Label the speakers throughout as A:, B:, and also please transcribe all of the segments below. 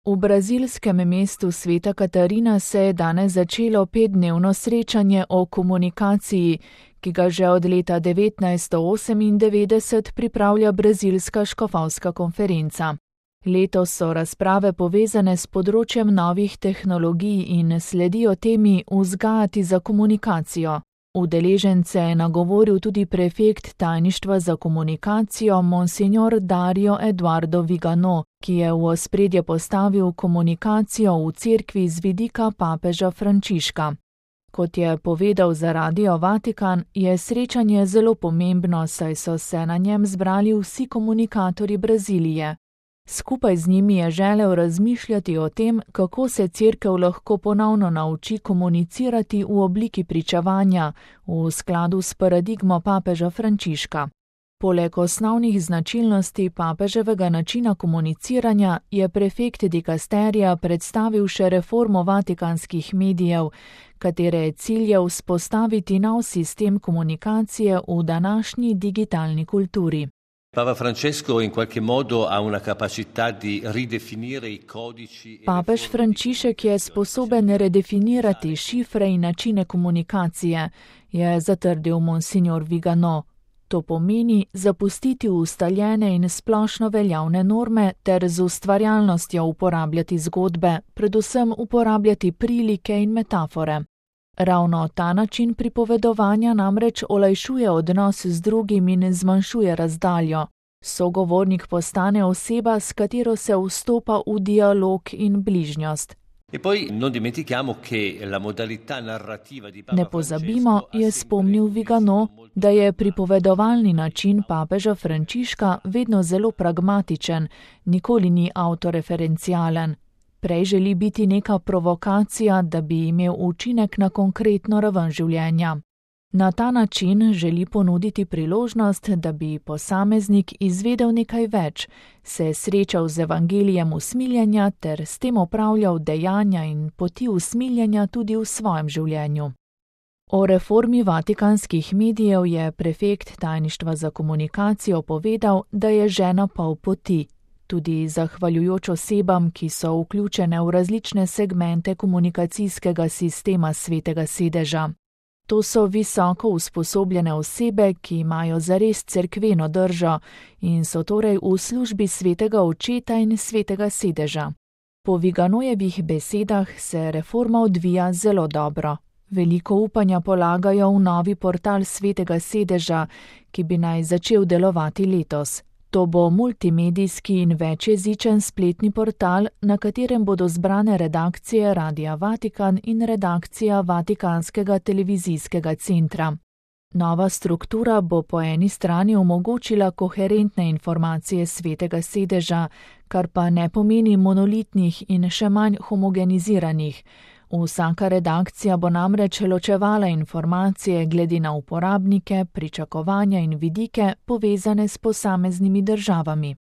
A: V brazilskem mestu Sveta Katarina se je danes začelo 5-dnevno srečanje o komunikaciji, ki ga že od leta 1998 pripravlja Brazilska škofovska konferenca. Letos so razprave povezane s področjem novih tehnologij in sledijo temi vzgajati za komunikacijo. Udeležence je nagovoril tudi prefekt tajništva za komunikacijo Monsignor Dario Eduardo Vigano, ki je v ospredje postavil komunikacijo v cerkvi z vidika papeža Frančiška. Kot je povedal za Radio Vatikan, je srečanje zelo pomembno, saj so se na njem zbrali vsi komunikatorji Brazilije. Skupaj z njimi je želel razmišljati o tem, kako se cerkev lahko ponovno nauči komunicirati v obliki pričevanja, v skladu s paradigmo papeža Frančiška. Poleg osnovnih značilnosti papeževega načina komuniciranja je prefekt dikasterija predstavil še reformo vatikanskih medijev, katere je cilj vzpostaviti nov sistem komunikacije v današnji digitalni kulturi.
B: Papa Francesco in qualche modo ha una capacità di ridefinire I codici.
A: Papež Frančišek je sposoben redefinirati šifre in načine komunikacije, je zatrdil Monsignor Vigano. To pomeni zapustiti ustaljene in splošno veljavne norme ter z ustvarjalnostjo uporabljati zgodbe, predvsem uporabljati prilike in metafore. Ravno ta način pripovedovanja namreč olajšuje odnos z drugim in zmanjšuje razdaljo. Sogovornik postane oseba, s katero se vstopa v dialog in bližnjost. Ne pozabimo, je spomnil Vigano, da je pripovedovalni način papeža Frančiška vedno zelo pragmatičen, nikoli ni avtoreferencialen. Prej želi biti neka provokacija, da bi imel učinek na konkretno raven življenja. Na ta način želi ponuditi priložnost, da bi posameznik izvedel nekaj več, se srečal z evangelijem usmiljenja ter s tem opravljal dejanja in poti usmiljenja tudi v svojem življenju. O reformi vatikanskih medijev je prefekt tajništva za komunikacijo povedal, da je žena pol poti. Tudi zahvaljujoč osebam, ki so vključene v različne segmente komunikacijskega sistema Svetega sedeža. To so visoko usposobljene osebe, ki imajo zares cerkveno držo in so torej v službi Svetega očeta in Svetega sedeža. Po Viganojevih besedah se reforma odvija zelo dobro. Veliko upanja polagajo v novi portal Svetega sedeža, ki bi naj začel delovati letos. To bo multimedijski in večjezičen spletni portal, na katerem bodo zbrane redakcije Radia Vatikan in redakcija Vatikanskega televizijskega centra. Nova struktura bo po eni strani omogočila koherentne informacije Svetega sedeža, kar pa ne pomeni monolitnih in še manj homogeniziranih. Vsaka redakcija bo namreč ločevala informacije glede na uporabnike, pričakovanja in vidike povezane s posameznimi državami.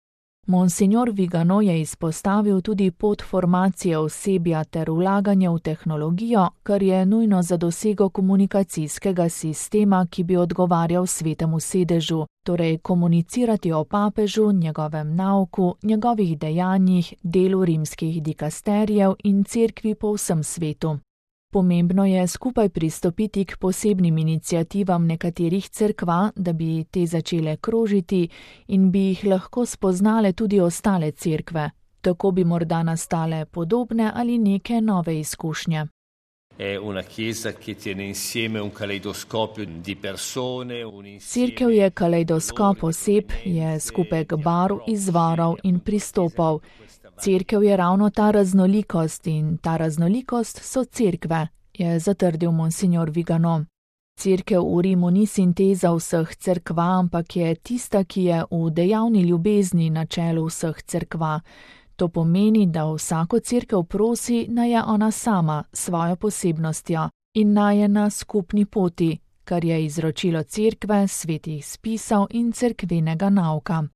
A: Monsignor Vigano je izpostavil tudi pot formacije osebja ter vlaganje v tehnologijo, kar je nujno za dosego komunikacijskega sistema, ki bi odgovarjal Svetemu sedežu, torej komunicirati o papežu, njegovem nauku, njegovih dejanjih, delu rimskih dikasterijev in cerkvi po vsem svetu. Pomembno je skupaj pristopiti k posebnim iniciativam nekaterih cerkva, da bi te začele krožiti in bi jih lahko spoznale tudi ostale cerkve. Tako bi morda nastale podobne ali neke nove izkušnje. Cerkev je kalejdoskop oseb, je skupek barv, izvorov in pristopov. Cerkev je ravno ta raznolikost in ta raznolikost so cerkve, je zatrdil Monsignor Vigano. Cerkev v Rimu ni sinteza vseh cerkva, ampak je tista, ki je v dejavni ljubezni na čelu vseh cerkva. To pomeni, da vsako cerkev prosi, naj je ona sama, svojo posebnostjo in naj je na skupni poti, kar je izročilo cerkve, svetih spisov in cerkvenega nauka.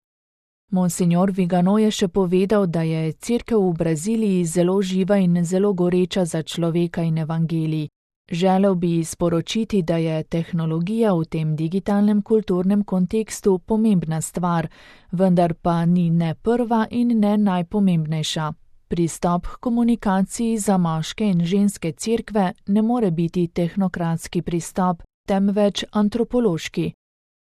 A: Monsignor Vigano je še povedal, da je cerkev v Braziliji zelo živa in zelo goreča za človeka in evangelij. Želel bi sporočiti, da je tehnologija v tem digitalnem kulturnem kontekstu pomembna stvar, vendar pa ni ne prva in ne najpomembnejša. Pristop k komunikaciji za moške in ženske cerkve ne more biti tehnokratski pristop, temveč antropološki.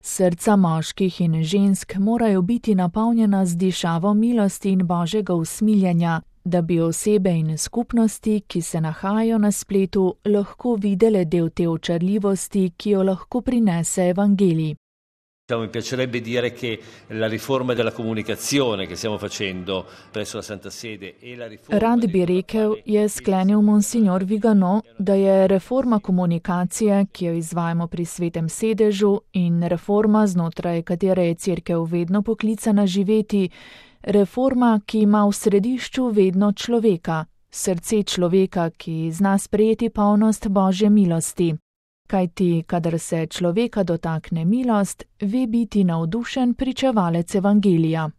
A: Srca moških in žensk morajo biti napolnjena z dišavo milosti in božjega usmiljenja, da bi osebe in skupnosti, ki se nahajajo na spletu, lahko videle del te očarljivosti, ki jo lahko prinese evangelij.
B: Mi piacerebbe dire che la riforma della comunicazione che stiamo facendo presso la Santa Sede e la riforma...
A: Rad bi rekel, je sklenil monsignor Vigano, da je reforma komunikacije, ki jo izvajamo pri Svetem sedežu, in reforma, znotraj katere je cerkev vedno poklicana živeti, reforma, ki ima v središču vedno človeka, srce človeka, ki zna sprejeti polnost Božje milosti. Kajti, kadar se človeka dotakne milost, ve biti navdušen pričevalec evangelija.